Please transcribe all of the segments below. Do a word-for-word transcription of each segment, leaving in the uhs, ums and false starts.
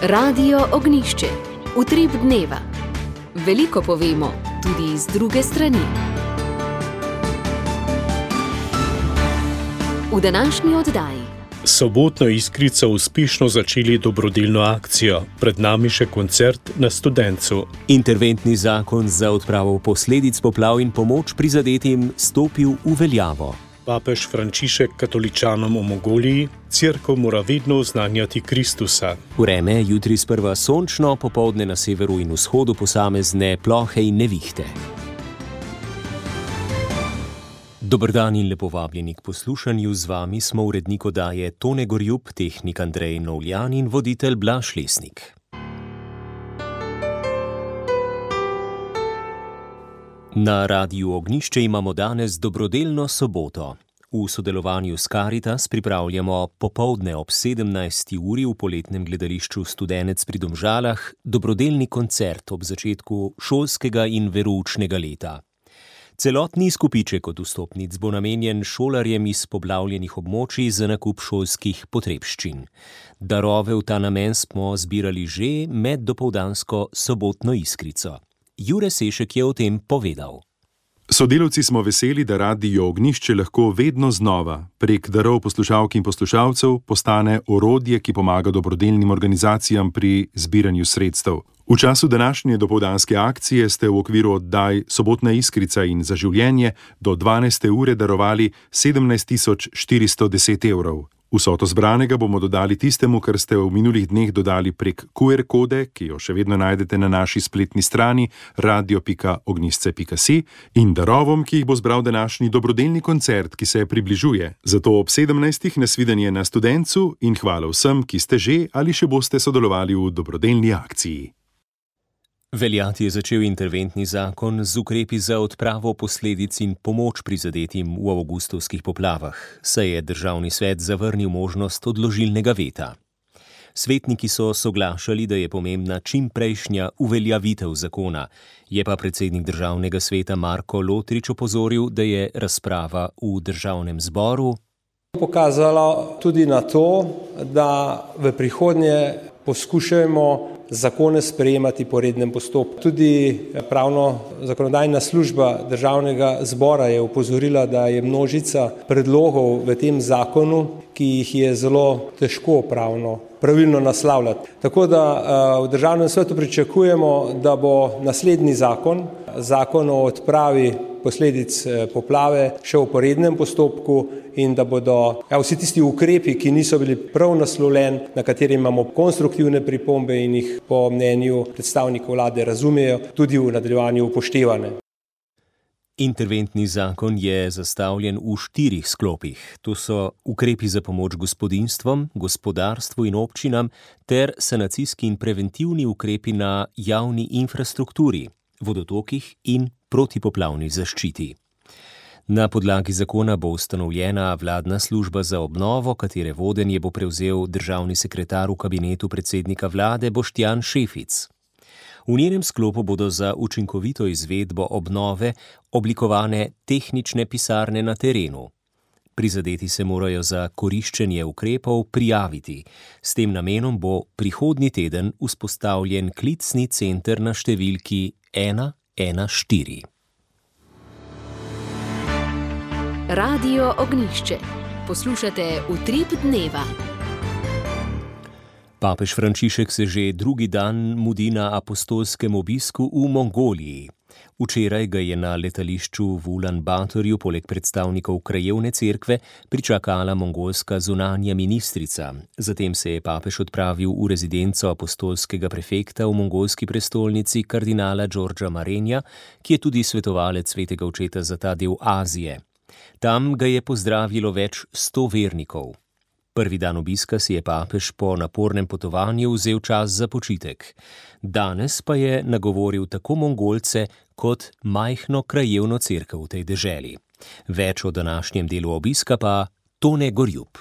Radio Ognjišče. Utrip dneva. Veliko povemo, tudi iz druge strani. V današnji oddaji. Sobotno Iskrico uspešno začeli dobrodelno akcijo, pred nami še koncert na Studencu. Interventni zakon za odpravo posledic poplav in pomoč prizadetim stopil v veljavo. Papež Frančišek katoličanom v Mongoliji: Cerkev mora vedno oznanjati Kristusa. Vreme jutri sprva sončno, popoldne na severu in vzhodu posamezne plohe in nevihte. Dober dan in lepo vabljeni k poslušanju. Z vami smo urednik oddaje Tone Gorjup, tehnik Andrej Novljan in voditelj Blaž Lesnik. Na Radiu Ognjišče imamo danes dobrodelno soboto. V sodelovanju s Karitas pripravljamo popoldne ob sedemnajsti uri v poletnem gledališču Studenec pri Domžalah dobrodelni koncert ob začetku šolskega in veroučnega leta. Celotni izkupiček od vstopnic bo namenjen šolarjem iz poplavljenih območij za nakup šolskih potrebščin. Darove v ta namen smo zbirali že med dopoldansko sobotno Iskrico. Jure Sešek je o tem povedal. Sodelavci smo veseli, da Radio Ognjišče lahko vedno znova prek darov poslušalk in poslušalcev postane orodje, ki pomaga dobrodelnim organizacijam pri zbiranju sredstev. V času današnje dopoldanske akcije ste v okviru oddaj Sobotna Iskrica in Za življenje do dvanajste ure darovali sedemnajst tisoč štiristo deset evrov. Vsoto zbranega bomo dodali tistemu, kar ste v minulih dneh dodali prek ku er kode, ki jo še vedno najdete na naši spletni strani radio pika ognjišče pika si, in darovom, ki jih bo zbral današnji dobrodelni koncert, ki se približuje. Zato ob sedemnajstih nasvidenje na Studencu in hvala vsem, ki ste že ali še boste sodelovali v dobrodelni akciji. Veljati je začel interventni zakon z ukrepi za odpravo posledic in pomoč prizadetim v avgustovskih poplavah, saj je državni svet zavrnil možnost odložilnega veta. Svetniki so soglašali, da je pomembna čimprejšnja uveljavitev zakona, je pa predsednik državnega sveta Marko Lotrič opozoril, da je razprava v državnem zboru pokazala tudi na to, da v prihodnje poskušajmo zakone sprejemati po rednem postopku. Tudi pravno zakonodajna služba državnega zbora je opozorila, da je množica predlogov v tem zakonu, ki jih je zelo težko pravno pravilno naslavljati. Tako da v državnem svetu pričakujemo, da bo naslednji zakon, zakon o odpravi posledic poplave, šel po rednem postopku in da bodo ja, vsi tisti ukrepi, ki niso bili prav naslovljeni, na kateri imamo konstruktivne pripombe in jih po mnenju predstavnikov vlade razumejo, tudi v nadaljevanju upoštevane. Interventni zakon je zastavljen v štirih sklopih. To so ukrepi za pomoč gospodinjstvom, gospodarstvu in občinam ter sanacijski in preventivni ukrepi na javni infrastrukturi, vodotokih in protipoplavni zaščiti. Na podlagi zakona bo ustanovljena vladna služba za obnovo, katere vodenje bo prevzel državni sekretar v kabinetu predsednika vlade Boštjan Šefic. V njenem sklopu bodo za učinkovito izvedbo obnove oblikovane tehnične pisarne na terenu. Prizadeti se morajo za koriščenje ukrepov prijaviti. S tem namenom bo prihodnji teden vzpostavljen klicni center na številki ena ena štiri. Radio Ognjišče. Poslušate Utrip dneva. Papež Frančišek se že drugi dan mudi na apostolskem obisku v Mongoliji. Včeraj ga je na letališču v Ulan Batorju poleg predstavnikov krajevne cerkve pričakala mongolska zunanja ministrica. Zatem se je papež odpravil v rezidenco apostolskega prefekta v mongolski prestolnici kardinala Đorđa Marenja, ki je tudi svetovalec svetega očeta za ta del Azije. Tam ga je pozdravilo več sto vernikov. Prvi dan obiska si je papež po napornem potovanju vzel čas za počitek. Danes pa je nagovoril tako Mongolce kot majhno krajevno cerkev v tej deželi. Več o današnjem delu obiska pa Tone Gorjup.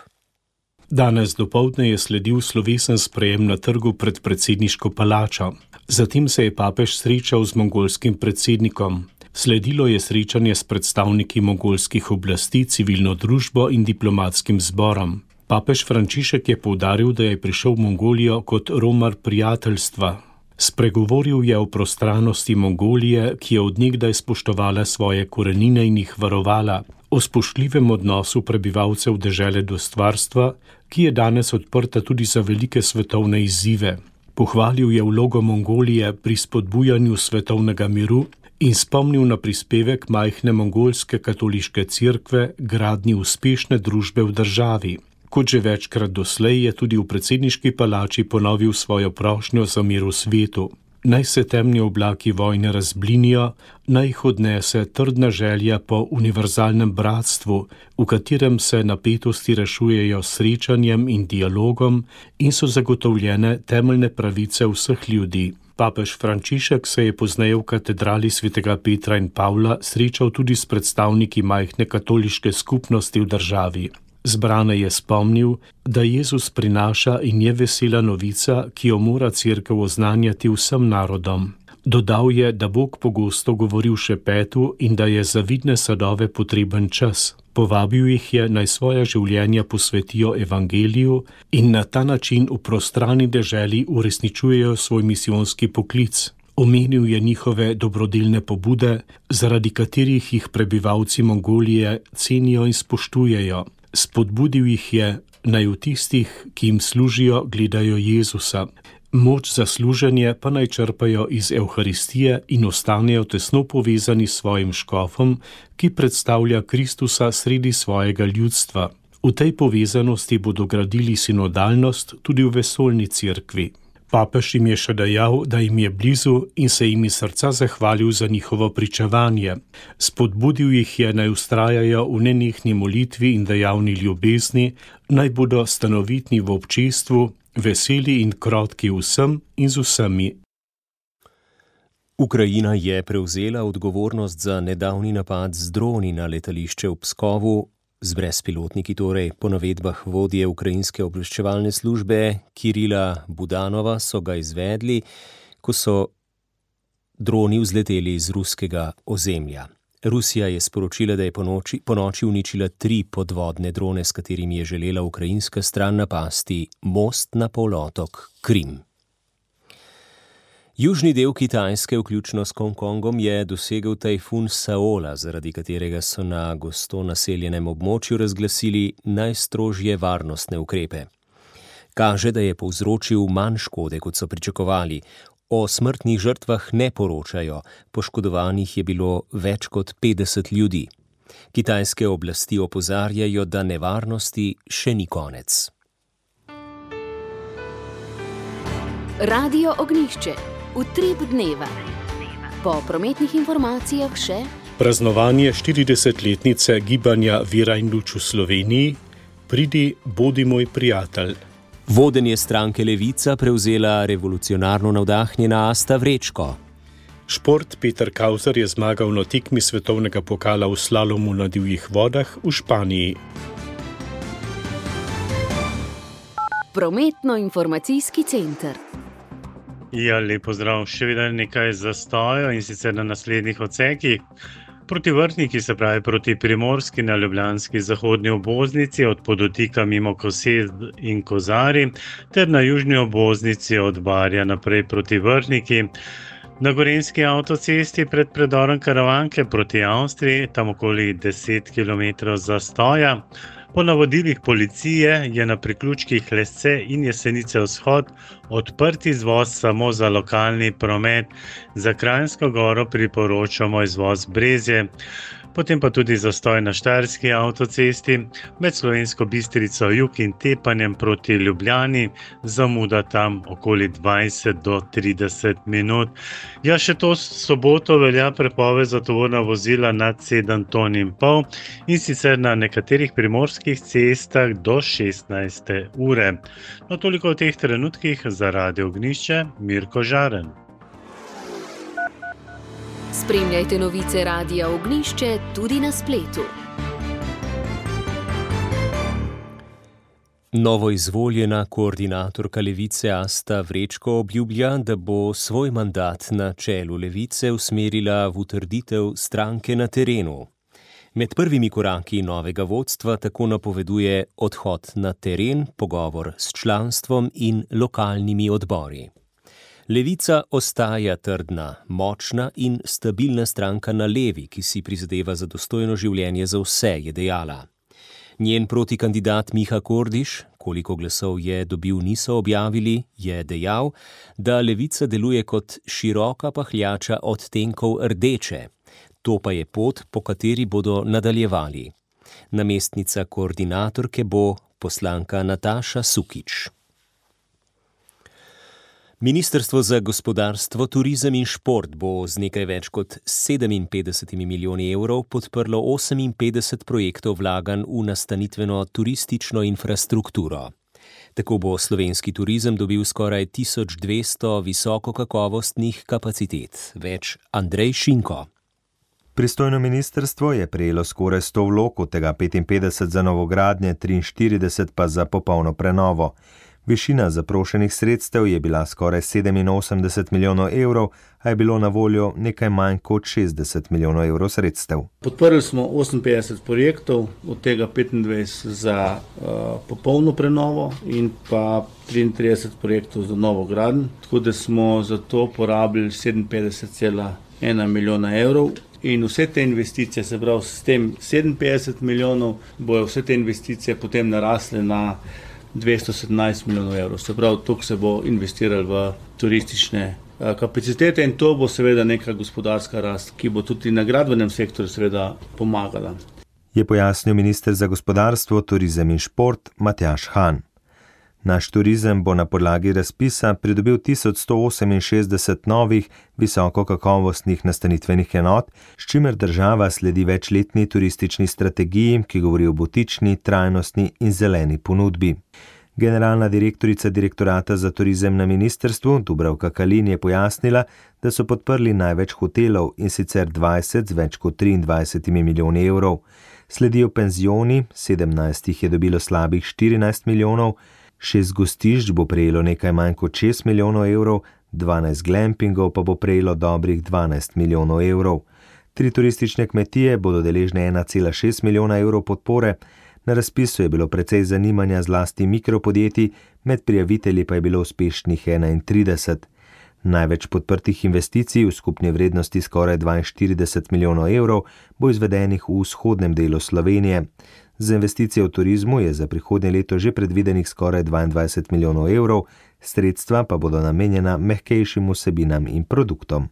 Danes dopoldne je sledil slovesen sprejem na trgu pred predsedniško palačo. Zatem se je papež srečal z mongolskim predsednikom. Sledilo je srečanje s predstavniki mongolskih oblasti, civilno družbo in diplomatskim zborom. Papež Frančišek je poudaril, da je prišel v Mongolijo kot romar prijateljstva. Spregovoril je o prostranosti Mongolije, ki je od nekdaj spoštovala svoje korenine in jih varovala, o spoštljivem odnosu prebivalcev dežele do stvarstva, ki je danes odprta tudi za velike svetovne izzive. Pohvalil je vlogo Mongolije pri spodbujanju svetovnega miru in spomnil na prispevek majhne mongolske katoliške cerkve gradnji uspešne družbe v državi. Kot že večkrat doslej je tudi v predsedniški palači ponovil svojo prošnjo za mir v svetu. Naj se temni oblaki vojne razblinijo, naj jih odnese trdna želja po univerzalnem bratstvu, v katerem se napetosti rešujejo s srečanjem in dialogom in so zagotovljene temeljne pravice vseh ljudi. Papež Frančišek se je pozneje v katedrali svetega Petra in Pavla srečal tudi s predstavniki majhne katoliške skupnosti v državi. Zbrane je spomnil, da Jezus prinaša in je vesela novica, ki jo mora cerkev oznanjati vsem narodom. Dodal je, da Bog pogosto govori v šepetu in da je za vidne sadove potreben čas. Povabil jih je, naj svoja življenja posvetijo evangeliju in na ta način v prostrani deželi uresničujejo svoj misijonski poklic. Omenil je njihove dobrodelne pobude, zaradi katerih jih prebivalci Mongolije cenijo in spoštujejo. Spodbudil jih je, naj v tistih, ki jim služijo, gledajo Jezusa. Moč za služenje pa naj črpajo iz Evharistije in ostanejo tesno povezani s svojim škofom, ki predstavlja Kristusa sredi svojega ljudstva. V tej povezanosti bodo gradili sinodalnost tudi v vesoljni cerkvi. Papež jim je še dejal, da jim je blizu in se jim iz srca zahvalil za njihovo pričevanje. Spodbudil jih je, naj vztrajajo v nenehni molitvi in dejavni ljubezni, naj bodo stanovitni v občestvu, veseli in krotki vsem in z vsemi. Ukrajina je prevzela odgovornost za nedavni napad z droni na letališče v Pskovu, z brezpilotniki torej. Po navedbah vodje ukrajinske obveščevalne službe Kirila Budanova so ga izvedli, ko so droni vzleteli iz ruskega ozemlja. Rusija je sporočila, da je po noči, po noči uničila tri podvodne drone, s katerimi je želela ukrajinska stran napasti most na polotok Krim. Južni del Kitajske, vključno s Hongkongom, je dosegel tajfun Saola, zaradi katerega so na gosto naseljenem območju razglasili najstrožje varnostne ukrepe. Kaže, da je povzročil manj škode, kot so pričakovali. O smrtnih žrtvah ne poročajo, poškodovanih je bilo več kot petdeset ljudi. Kitajske oblasti opozarjajo, da nevarnosti še ni konec. Radio Ognjišče. Utrip dneva. Po prometnih informacijah še praznovanje štiridesetletnice gibanja Vera in luč v Sloveniji. Pridi, bodi moj prijatelj. Vodenje stranke Levica prevzela revolucionarno navdahnjena Asta Vrečko. Šport. Peter Kauzer je zmagal na tekmi svetovnega pokala v slalomu na divjih vodah v Španiji. Prometno-informacijski center. Ja, lep pozdrav. Še vedno nekaj zastoja in sicer na naslednjih odsekih. Proti Vrhniki, se pravi proti Primorski na ljubljanski zahodni obvoznici od Podotika mimo Kosez in Kozari ter na južni obvoznici od Barja naprej proti Vrhniki. Na Gorenjski avtocesti pred predorom Karavanke proti Avstriji, tam okoli deset kilometrov zastoja. Po navodilih policije je na priključkih Lesce in Jesenice vzhod odprt izvoz samo za lokalni promet. Za Kranjsko Goro priporočamo izvoz Brezje. Potem pa tudi zastoj na Štajerski avtocesti med Slovensko Bistrico jug in Tepanjem proti Ljubljani, zamuda tam okoli dvajset do trideset minut. Ja, še to soboto velja prepoved za tovorna vozila nad sedem ton in pol in sicer na nekaterih primorskih cestah do šestnajste ure. No, toliko v teh trenutkih. Za Radio Ognjišče, Mirko Žaren. Spremljajte novice Radia Ognjišče tudi na spletu. Novoizvoljena koordinatorka Levice Asta Vrečko obljublja, da bo svoj mandat na čelu Levice usmerila v utrditev stranke na terenu. Med prvimi koraki novega vodstva tako napoveduje odhod na teren, pogovor s članstvom in lokalnimi odbori. Levica ostaja trdna, močna in stabilna stranka na levi, ki si prizadeva za dostojno življenje za vse, je dejala. Njen protikandidat Miha Kordiš, koliko glasov je dobil, niso objavili, je dejal, da Levica deluje kot široka pahljača odtenkov rdeče. To pa je pot, po kateri bodo nadaljevali. Namestnica koordinatorke bo poslanka Nataša Sukič. Ministrstvo za gospodarstvo, turizem in šport bo z nekaj več kot sedeminpetdeset milijoni evrov podprlo oseminpetdeset projektov vlaganj v nastanitveno turistično infrastrukturo. Tako bo slovenski turizem dobil skoraj tisoč dvesto visokokakovostnih kapacitet. Več Andrej Šinko. Pristojno ministrstvo je prejelo skoraj sto vlog, od tega petinpetdeset za novogradnje, triinštirideset pa za popolno prenovo. Višina zaprošenih sredstev je bila skoraj sedeminosemdeset milijonov evrov, a je bilo na voljo nekaj manj kot šestdeset milijonov evrov sredstev. Podprli smo oseminpetdeset projektov, od tega petindvajset za uh, popolno prenovo in pa triintrideset projektov za novogradnjo, tako da smo za to porabili sedeminpetdeset cela ena milijona evrov. In vse te investicije, se pravi s tem sedeminpetdeset milijonov, bojo vse te investicije potem narasle na dvesto sedemnajst milijonov evrov. Se pravi, toliko se bo investiralo v turistične kapacitete in to bo seveda neka gospodarska rast, ki bo tudi na gradbenem sektorju seveda pomagala. Je pojasnil minister za gospodarstvo, turizem in šport Matjaž Han. Naš turizem bo na podlagi razpisa pridobil tisoč sto oseminšestdeset novih visokokakovostnih nastanitvenih enot, s čimer država sledi večletni turistični strategiji, ki govori o butični, trajnostni in zeleni ponudbi. Generalna direktorica direktorata za turizem na ministrstvu, Dubravka Kalin, je pojasnila, da so podprli največ hotelov, in sicer dvajset z več kot triindvajset milijoni evrov. Sledijo penzioni, sedemnajst jih je dobilo slabih štirinajst milijonov, šest gostišč bo prejelo nekaj manj kot šest milijonov evrov, dvanajst glampingov pa bo prejelo dobrih dvanajst milijonov evrov. Tri turistične kmetije bodo deležne ena cela šest milijona evrov podpore. Na razpisu je bilo precej zanimanja zlasti mikropodjetij, med prijavitelji pa je bilo uspešnih enaintrideset. Največ podprtih investicij v skupni vrednosti skoraj dvainštirideset milijonov evrov bo izvedenih v vzhodnem delu Slovenije. Za investicije v turizmu je za prihodnje leto že predvidenih skoraj dvaindvajset milijonov evrov, sredstva pa bodo namenjena mehkejšim vsebinam in produktom.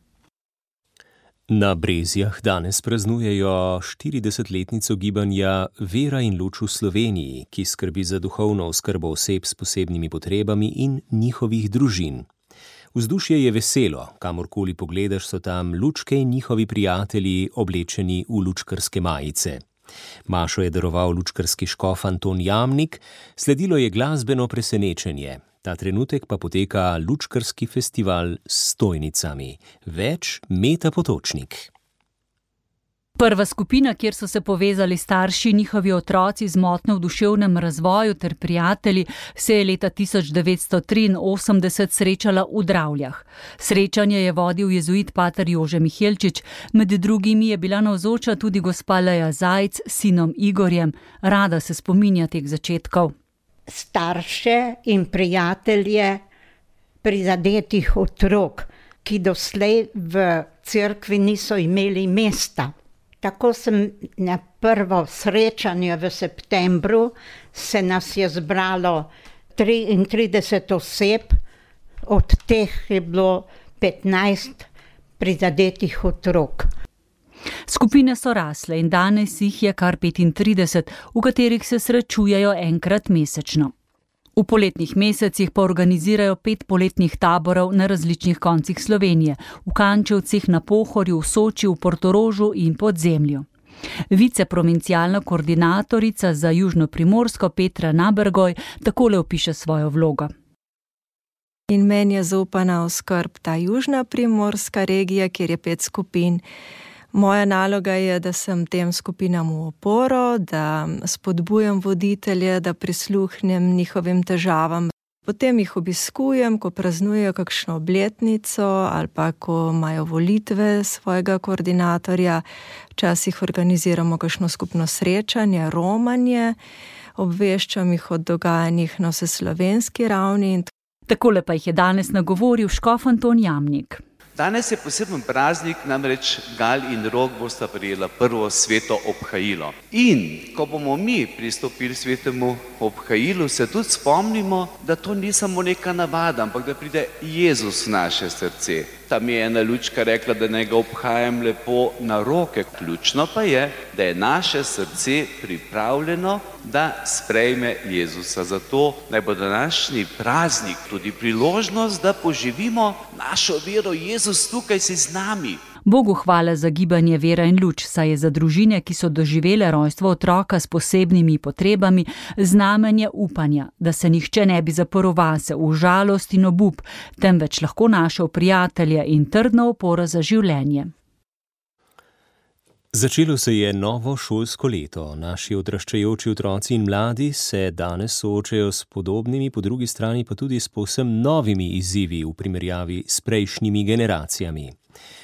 Na Brezjah danes praznujejo štiridesetletnico gibanja Vera in luč v Sloveniji, ki skrbi za duhovno oskrbo oseb s posebnimi potrebami in njihovih družin. Vzdušje je veselo, kamorkoli pogledaš, so tam lučke in njihovi prijatelji oblečeni v lučkarske majice. Mašo je daroval lučkarski škof Anton Jamnik, sledilo je glasbeno presenečenje. Ta trenutek pa poteka lučkarski festival s stojnicami. Več Meta Potočnik. Prva skupina, kjer so se povezali starši, njihovi otroci z motnjo v duševnem razvoju ter prijatelji, se je leta tisoč devetsto triinosemdeset srečala v Dravljah. Srečanje je vodil jezuit pater Jože Mihelčič, med drugimi je bila navzoča tudi gospa Leja Zajc s sinom Igorjem. Rada se spominja teh začetkov. Starše in prijatelje prizadetih otrok, ki doslej v cerkvi niso imeli mesta. Tako sem na prvo srečanje v septembru, se nas je zbralo triintrideset oseb, od teh je bilo petnajst prizadetih otrok. Skupine so rasle in danes jih je kar petintrideset, v katerih se srečujejo enkrat mesečno. V poletnih mesecih pa organizirajo pet poletnih taborov na različnih koncih Slovenije, v Kančevcih, na Pohorju, v Soči, v Portorožu in Podzemlju. Viceprovincialna koordinatorica za Južno Primorsko Petra Nabergoj takole opiše svojo vlogo. In meni je zaupana v skrb ta Južna Primorska regija, kjer je pet skupin. Moja naloga je, da sem tem skupinam v oporo, da spodbujam voditelje, da prisluhnem njihovim težavam. Potem jih obiskujem, ko praznujejo kakšno obletnico ali pa ko imajo volitve svojega koordinatorja. Včasih organiziramo kakšno skupno srečanje, romanje, obveščam jih o dogajanjih na vseslovenski ravni. Takole pa jih je danes nagovoril škof Anton Jamnik. Danes je poseben praznik, namreč Gal in Rok bosta prejela prvo sveto obhajilo. In ko bomo mi pristopili svetemu obhajilu, se tudi spomnimo, da to ni samo neka navada, ampak da pride Jezus v naše srce. Tam je ena lučka rekla, da naj ga obhajam lepo na roke. Ključno pa je, da je naše srce pripravljeno, da sprejme Jezusa. Zato naj bo današnji praznik tudi priložnost, da poživimo našo vero. Jezus tukaj si z nami. Bogu hvala za gibanje Vera in luč, saj je za družine, ki so doživele rojstvo otroka s posebnimi potrebami, znamenje upanja, da se nihče ne bi zaprl vase v žalost in obup, temveč lahko našel prijatelja in trdno oporo za življenje. Začelo se je novo šolsko leto. Naši odraščajoči otroci in mladi se danes soočajo s podobnimi, po drugi strani pa tudi s povsem novimi izzivi v primerjavi s prejšnjimi generacijami.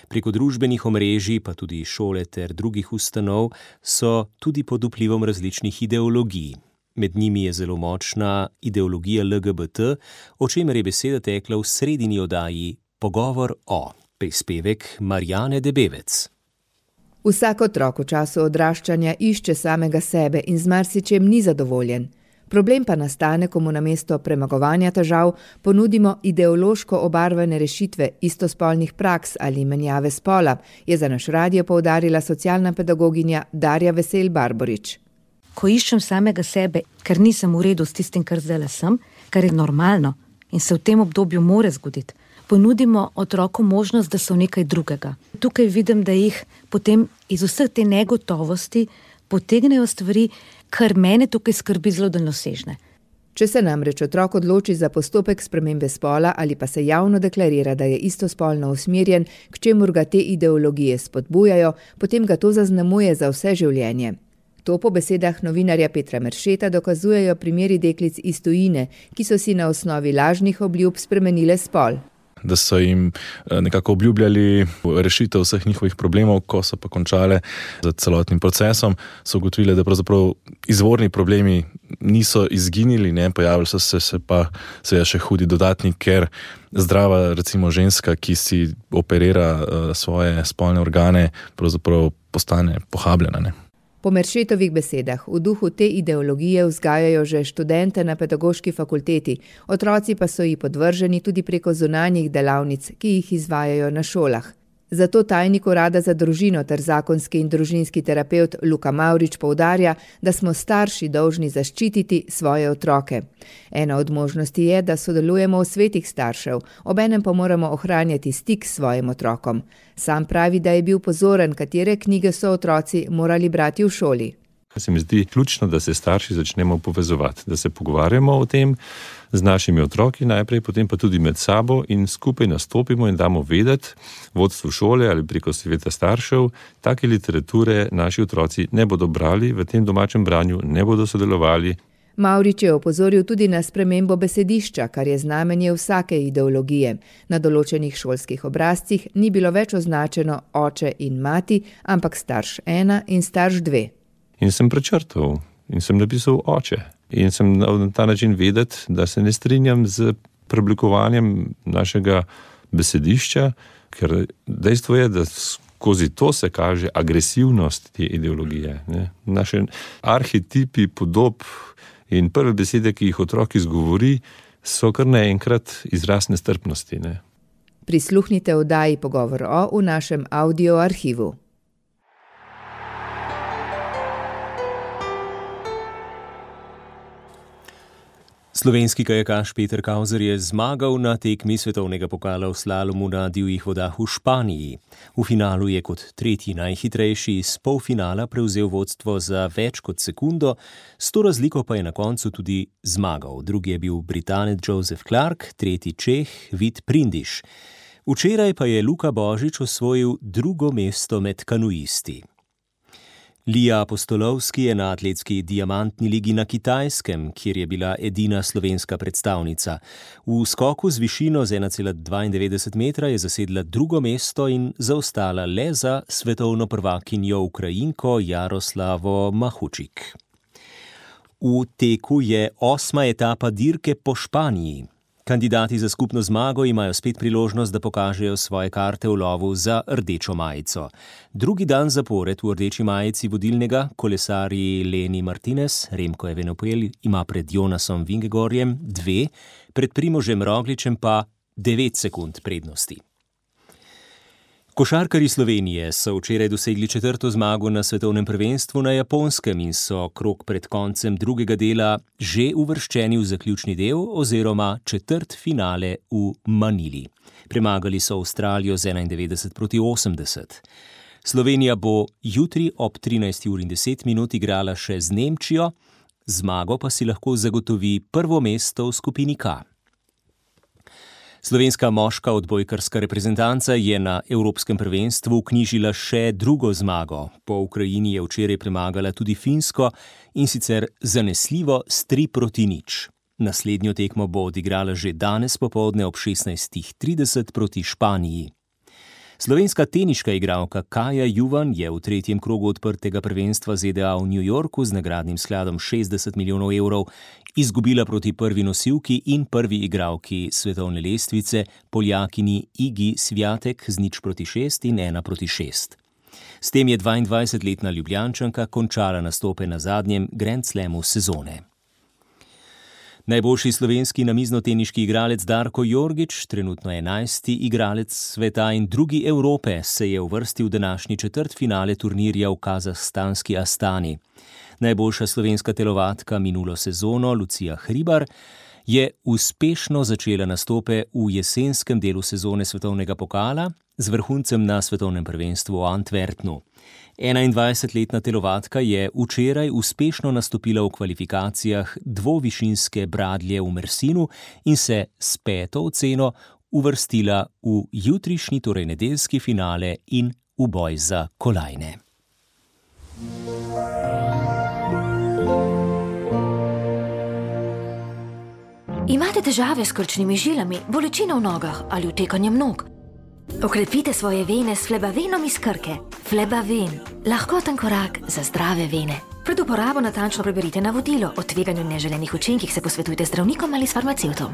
Preko družbenih omrežij, pa tudi šole ter drugih ustanov, so tudi pod vplivom različnih ideologij. Med njimi je zelo močna ideologija L G B T, o čemer je beseda tekla v sredini oddaji Pogovor o. Prispevek Marjane Debevec. Vsak otrok v času odraščanja išče samega sebe in z marsičem ni zadovoljen. Problem pa nastane, ko mu namesto premagovanja težav ponudimo ideološko obarvane rešitve istospolnih praks ali menjave spola, je za naš radio poudarila socialna pedagoginja Darja Vesel Barborič. Ko iščem samega sebe, ker nisem v redu s tistim, kar zdaj sem, kar je normalno in se v tem obdobju more zgoditi, ponudimo otroku možnost, da so nekaj drugega. Tukaj vidim, da jih potem iz vseh te negotovosti potegnejo stvari, kar mene tukaj skrbi zelo daljnosežne. Če se namreč otrok odloči za postopek spremembe spola ali pa se javno deklarira, da je istospolno usmerjen, k čemur ga te ideologije spodbujajo, potem ga to zaznamuje za vse življenje. To po besedah novinarja Petra Meršeta dokazujejo primeri deklic iz tujine, ki so si na osnovi lažnih obljub spremenile spol. Da so jim nekako obljubljali rešitev vseh njihovih problemov, ko so pa končale z celotnim procesom, so ugotovili, da pravzaprav izvorni problemi niso izginili, ne, pojavili so se, se pa seveda še hudi dodatni, ker zdrava recimo ženska, ki si operira uh, svoje spolne organe, pravzaprav postane pohabljena, ne. Po Meršetovih besedah v duhu te ideologije vzgajajo že študente na pedagoški fakulteti, otroci pa so ji podvrženi tudi preko zunanjih delavnic, ki jih izvajajo na šolah. Zato tajnik urada za družino ter zakonski in družinski terapevt Luka Mavrič poudarja, da smo starši dolžni zaščititi svoje otroke. Ena od možnosti je, da sodelujemo v svetih staršev, obenem pa moramo ohranjati stik s svojim otrokom. Sam pravi, da je bil pozoren, katere knjige so otroci morali brati v šoli. Se mi zdi ključno, da se starši začnemo povezovati, da se pogovarjamo o tem z našimi otroki najprej, potem pa tudi med sabo in skupaj nastopimo in damo vedeti vodstvu šole ali preko sveta staršev, take literature naši otroci ne bodo brali, v tem domačem branju ne bodo sodelovali. Mavrič je opozoril tudi na spremembo besedišča, kar je znamenje vsake ideologije. Na določenih šolskih obrazcih ni bilo več označeno oče in mati, ampak starš ena in starš dve. In sem prečrtal in sem napisal oče. In sem na ta način vedeti, da se ne strinjam z preoblikovanjem našega besedišča, ker dejstvo je, da skozi to se kaže agresivnost te ideologije. Ne? Naše arhetipi podob in prve besede, ki jih otrok izgovori, so kar naenkrat izraz nestrpnosti. Ne? Prisluhnite oddaji Pogovor o v našem audio arhivu. Slovenski kajakaš Peter Kauzer je zmagal na tekmi svetovnega pokala v slalomu na divjih vodah v Španiji. V finalu je kot tretji najhitrejši iz polfinala prevzel vodstvo za več kot sekundo, s to razliko pa je na koncu tudi zmagal. Drugi je bil Britanec Joseph Clark, tretji Čeh Vid Prindiš. Včeraj pa je Luka Božič osvojil drugo mesto med kanuisti. Lija Apostolovski je na atletski diamantni ligi na Kitajskem, kjer je bila edina slovenska predstavnica. V skoku z višino z ena cela dvaindevetdeset metra je zasedla drugo mesto in zaostala le za svetovno prvakinjo Ukrajinko Jaroslavo Mahučik. V teku je osma etapa dirke po Španiji. Kandidati za skupno zmago imajo spet priložnost, da pokažejo svoje karte v lovu za rdečo majico. Drugi dan zapored v rdeči majici vodilnega kolesarji Leni Martinez, Remko Evenepoel ima pred Jonasom Vingegorjem dve, pred Primožem Rogličem pa devet sekund prednosti. Košarkarji Slovenije so včeraj dosegli četrto zmago na svetovnem prvenstvu na Japonskem in so krog pred koncem drugega dela že uvrščeni v zaključni del oziroma četrt finale v Manili. Premagali so Avstralijo z enaindevetdeset proti osemdeset. Slovenija bo jutri ob trinajsti uri in deset minut igrala še z Nemčijo, zmago pa si lahko zagotovi prvo mesto v skupini K. Slovenska moška odbojkarska reprezentanca je na Evropskem prvenstvu vknjižila še drugo zmago. Po Ukrajini je včeraj premagala tudi Finsko in sicer zanesljivo s tri proti nič. Naslednjo tekmo bo odigrala že danes popoldne ob šestnajstih trideset proti Španiji. Slovenska teniška igralka Kaja Juvan je v tretjem krogu odprtega prvenstva Z D A v New Yorku z nagradnim skladom šestdeset milijonov evrov izgubila proti prvi nosilki in prvi igralki svetovne lestvice, Poljakini Igi Swiatek z nič proti šest in ena proti šest. S tem je dvaindvajsetletna Ljubljančanka končala nastope na zadnjem Grand Slamu sezone. Najboljši slovenski namiznoteniški igralec Darko Jorgič, trenutno enajsti igralec sveta in drugi Evrope, se je uvrstil v današnji četrtfinale turnirja v kazahstanski Astani. Najboljša slovenska telovadka minulo sezono, Lucija Hribar, je uspešno začela nastope v jesenskem delu sezone svetovnega pokala z vrhuncem na svetovnem prvenstvu v Antwerpnu. enaindvajsetletna telovadka je včeraj uspešno nastopila v kvalifikacijah dvovišinske bradlje v Mersinu in se s peto oceno uvrstila v jutrišnji, torej nedeljski finale in v boj za kolajne. Imate težave s krčnimi žilami, bolečino v nogah ali utekanjem nog? Okrepite svoje vene s Flebavenom iz Krke. Flebaven. Lahkoten korak za zdrave vene. Pred uporabo natančno preberite navodilo. O tveganju in neželenih učinkih se posvetujte z zdravnikom ali s farmacevtom.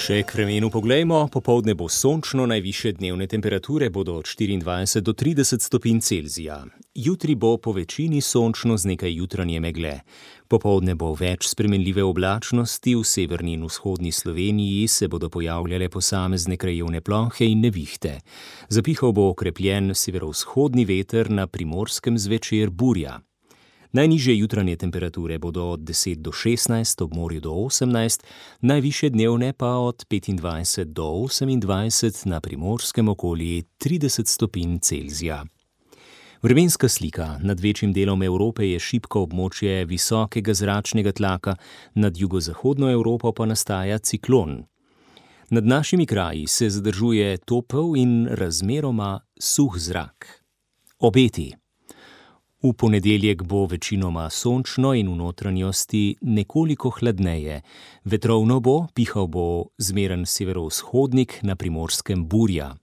Še k vremenu poglejmo, popoldne bo sončno, najvišje dnevne temperature bodo od štiriindvajset do trideset stopinj Celzija. Jutri bo po večini sončno z nekaj jutranje megle. Popoldne bo več spremenljive oblačnosti, v severni in vzhodni Sloveniji se bodo pojavljale posamezne krajevne plohe in nevihte. Zapihal bo okrepljen severovzhodni veter, na Primorskem zvečer burja. Najnižje jutranje temperature bodo od deset do šestnajst, ob morju do osemnajst, najvišje dnevne pa od petindvajset do osemindvajset, na Primorskem okoli trideset stopinj Celzija. Vremenska slika. Nad večjim delom Evrope je šibko območje visokega zračnega tlaka, nad jugozahodno Evropo pa nastaja ciklon. Nad našimi kraji se zadržuje topel in razmeroma suh zrak. Obeti. V ponedeljek bo večinoma sončno in v notranjosti nekoliko hladneje. Vetrovno bo, pihal bo zmeren severovzhodnik, na Primorskem burja.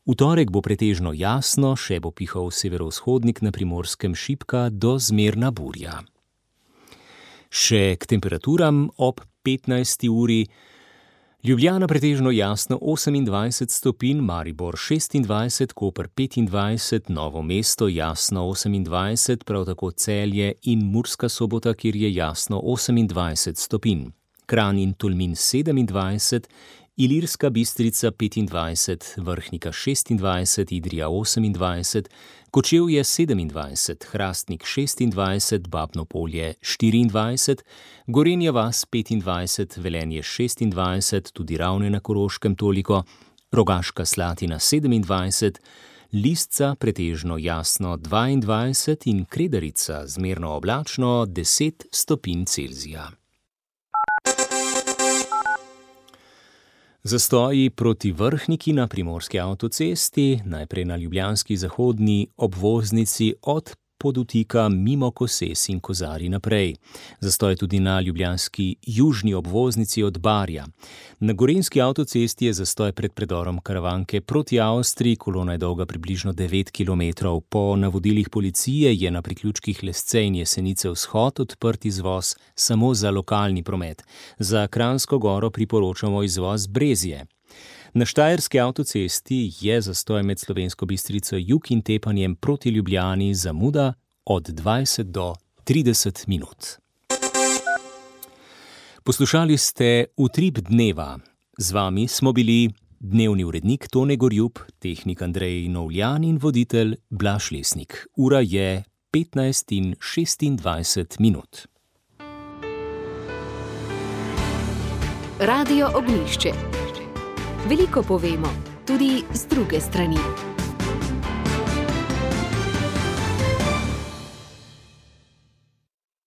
V torek bo pretežno jasno, še bo pihal severovzhodnik, na Primorskem šibka do zmerna burja. Še k temperaturam ob petnajsti uri. Ljubljana pretežno jasno osemindvajset stopinj, Maribor šestindvajset, Koper petindvajset, Novo mesto jasno osemindvajset, prav tako Celje in Murska Sobota, kjer je jasno osemindvajset stopinj. Kranj in Tolmin sedemindvajset, Ilirska Bistrica petindvajset, Vrhnika šestindvajset, Idrija osemindvajset, Kočevje sedemindvajset, Hrastnik šestindvajset, Babno Polje štiriindvajset, Gorenja vas petindvajset, Velenje šestindvajset, tudi Ravne na Koroškem toliko, Rogaška Slatina sedemindvajset, Lisca pretežno jasno dvaindvajset in Kredarica zmerno oblačno deset stopinj Celzija. Zastoji proti Vrhniki na primorski avtocesti, najprej na ljubljanski zahodni obvoznici od Podutika mimo Koses in Kozarij naprej. Zastoj tudi na ljubljanski južni obvoznici od Barja. Na gorenjski avtocesti je zastoj pred predorom Karavanke proti Avstriji, kolona je dolga približno devet kilometrov. Po navodilih policije je na priključkih Lesce in Jesenice vzhod odprt izvoz samo za lokalni promet. Za Kranjsko Goro priporočamo izvoz Brezje. Na štajerski avtocesti je zastoj med Slovensko Bistrico jug in Tepanjem proti Ljubljani zamuda od dvajset do trideset minut. Poslušali ste Utrip dneva. Z vami smo bili dnevni urednik Tone Gorjup, tehnik Andrej Novljan in voditelj Blaž Lesnik. Ura je petnajst in šestindvajset minut. Radio Ognjišče. Veliko povemo, tudi z druge strani.